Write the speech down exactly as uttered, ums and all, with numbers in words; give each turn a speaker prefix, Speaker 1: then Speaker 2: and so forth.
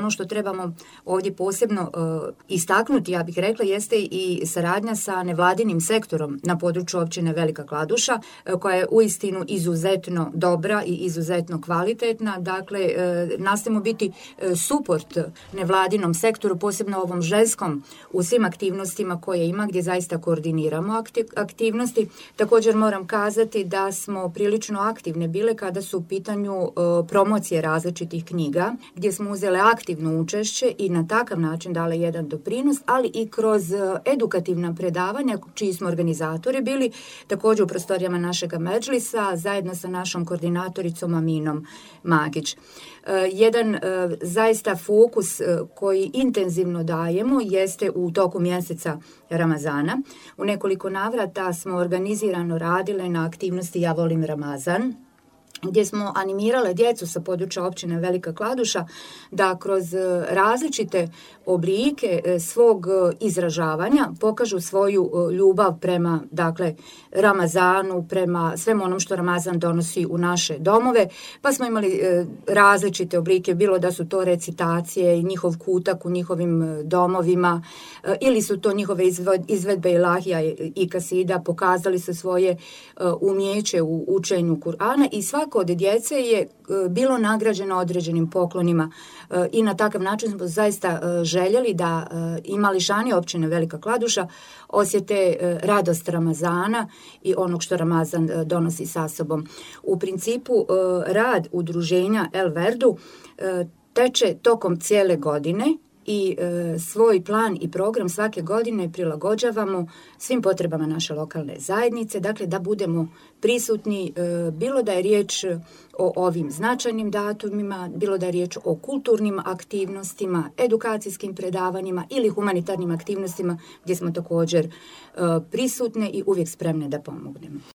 Speaker 1: ono što trebamo ovdje posebno uh, istaknuti, ja bih rekla, jeste i saradnja sa nevladinim sektorom na području općine Velika Kladuša, uh, koja je uistinu izuzetno dobra i izuzetno kvalitetna. Dakle, uh, nastojimo biti uh, suport nevladinom sektoru, posebno ovom ženskom, u svim aktivnostima koje ima, gdje zaista koordiniramo aktivnosti. Također moram kazati da smo prilično aktivne bile kada su u pitanju uh, promocije različitih knjiga, gdje smo uzele aktivno učešće i na takav način dale jedan doprinos, ali i kroz uh, edukativna predavanja čiji smo organizatori bili, također u prostorijama našega medžlisa, zajedno sa našom koordinatoricom Aminom Magić. Uh, jedan uh, zaista fokus uh, koji intenzivno dajemo jeste u toku mjeseca Ramazana. U nekoliko navrata smo organizirano radile na aktivnosti Ja volim Ramazan, gdje smo animirale djecu sa područja općine Velika Kladuša da kroz različite oblike svog izražavanja pokažu svoju ljubav prema, dakle, Ramazanu, prema svemu onom što Ramazan donosi u naše domove. Pa smo imali različite oblike, bilo da su to recitacije i njihov kutak u njihovim domovima, ili su to njihove izvedbe ilahija i kasida, pokazali su svoje umjeće u učenju Kur'ana i svako od djece je bilo nagrađeno određenim poklonima i na takav način smo zaista željeli da i mališani općine Velika Kladuša osjete radost Ramazana i onog što Ramazan donosi sa sobom. U principu rad udruženja El Verdu teče tokom cijele godine i e, svoj plan i program svake godine prilagođavamo svim potrebama naše lokalne zajednice, dakle da budemo prisutni, e, bilo da je riječ o ovim značajnim datumima, bilo da je riječ o kulturnim aktivnostima, edukacijskim predavanjima ili humanitarnim aktivnostima gdje smo također e, prisutne i uvijek spremne da pomognemo.